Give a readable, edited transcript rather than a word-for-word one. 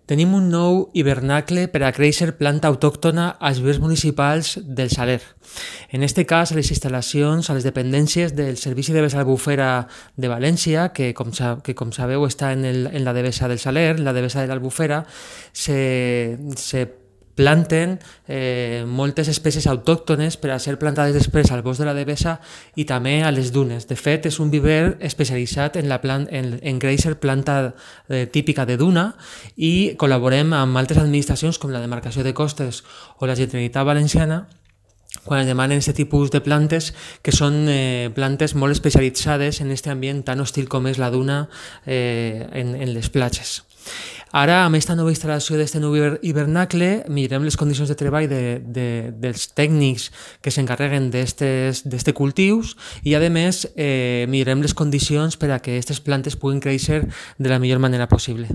Tenim un nou hivernacle per a créixer planta autòctona als vivers municipals del Saler. En este cas, a les instal·lacions, a les dependències del Servici de Devesa Albufera de València, que com sabeu està en la Devesa del Saler, en la Devesa de l'Albufera, se planten moltes espècies autòctones per a ser plantades després al bosc de la Devesa i també a les dunes. De fet, és un viver especialitzat en créixer planta típica de duna i col·laborem amb altres administracions com la Demarcació de Costes o la Generalitat Valenciana quan es demanen aquest tipus de plantes, que són plantes molt especialitzades en aquest ambient tan hostil com és la duna en les platges. Ara, amb aquesta nova instal·lació d'aquest nou hivernacle, mirem les condicions de treball dels tècnics que s'encarreguen d'aquests cultius i, a més, mirem les condicions per a que aquestes plantes puguin créixer de la millor manera possible.